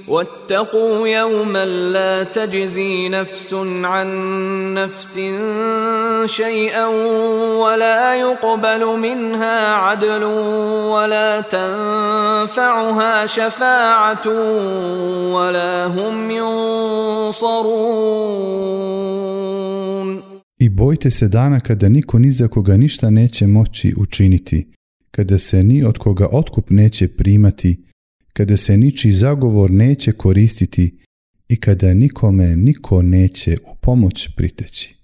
واتقوا يوما لا تجزي نفس عن نفس شيئا ولا يقبل منها عدل ولا تنفعها شفاعة ولا هم ينصرون. I bojte se dana kada niko ni za koga ništa neće moći učiniti, kada se ni od koga otkup neće primati, kada se ničiji zagovor neće koristiti i kada nikome niko neće u pomoć priteći.